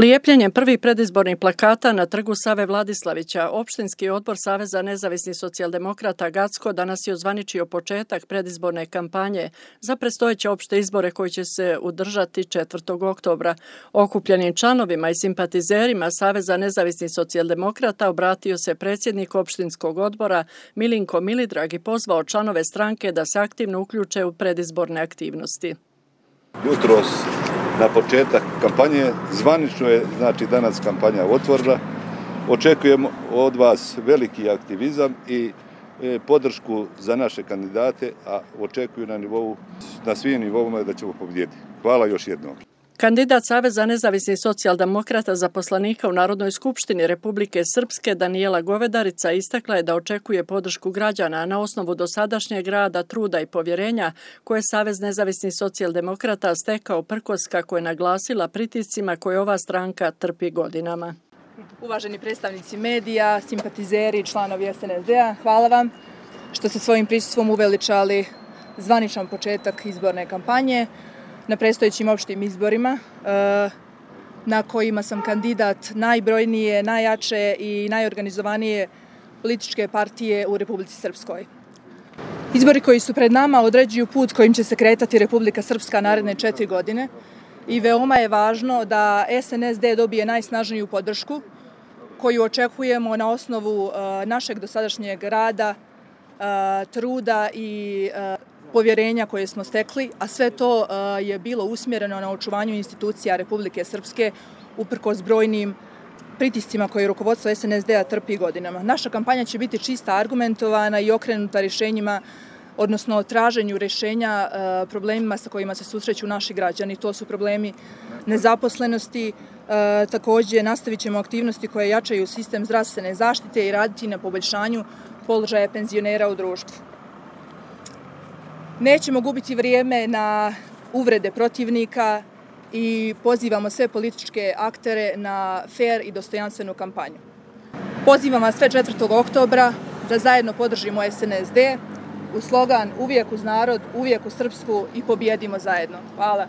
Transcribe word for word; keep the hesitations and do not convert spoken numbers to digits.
Lijepljenjem prvih predizbornih plakata na trgu Save Vladislavića, Opštinski odbor Saveza nezavisnih socijaldemokrata Gacko danas je ozvaničio početak predizborne kampanje za predstojeće opšte izbore koji će se održati četvrtog oktobra. Okupljenim članovima i simpatizerima Saveza nezavisnih socijaldemokrata obratio se predsjednik opštinskog odbora Milinko Milidrag i pozvao članove stranke da se aktivno uključe u predizborne aktivnosti. Jutros na početak kampanje, zvanično je znači danas kampanja otvorena. Očekujemo od vas veliki aktivizam i podršku za naše kandidate, a očekuju na nivou, na svim nivoima da ćemo pobijediti. Hvala još jednom. Kandidat Saveza nezavisnih socijaldemokrata za poslanika u Narodnoj skupštini Republike Srpske Danijela Govedarica istakla je da očekuje podršku građana na osnovu dosadašnjeg rada, truda i povjerenja koje Savez nezavisnih socijaldemokrata stekao prkos, kako je naglasila, pritiscima koje ova stranka trpi godinama. Uvaženi predstavnici medija, simpatizeri i članovi S N S D-a, hvala vam što ste svojim prisustvom uveličali zvaničan početak izborne kampanje na predstojećim opštim izborima na kojima sam kandidat najbrojnije, najjače i najorganizovanije političke partije u Republici Srpskoj. Izbori koji su pred nama određuju put kojim će se kretati Republika Srpska naredne četiri godine i veoma je važno da S N S D dobije najsnažniju podršku koju očekujemo na osnovu našeg dosadašnjeg rada, truda i povjerenja koje smo stekli, a sve to je bilo usmjereno na očuvanju institucija Republike Srpske uprkos brojnim pritiscima koje rukovodstvo S N S D-a trpi godinama. Naša kampanja će biti čista, argumentovana i okrenuta rješenjima, odnosno traženju rješenja problemima sa kojima se susreću naši građani. To su problemi nezaposlenosti. Također nastavit ćemo aktivnosti koje jačaju sistem zdravstvene zaštite i raditi na poboljšanju položaja penzionera u društvu. Nećemo gubiti vrijeme na uvrede protivnika i pozivamo sve političke aktere na fer i dostojanstvenu kampanju. Pozivam vas sve četvrtog oktobra da zajedno podržimo S N S D u slogan "Uvijek uz narod, uvijek u Srpsku" i pobijedimo zajedno. Hvala.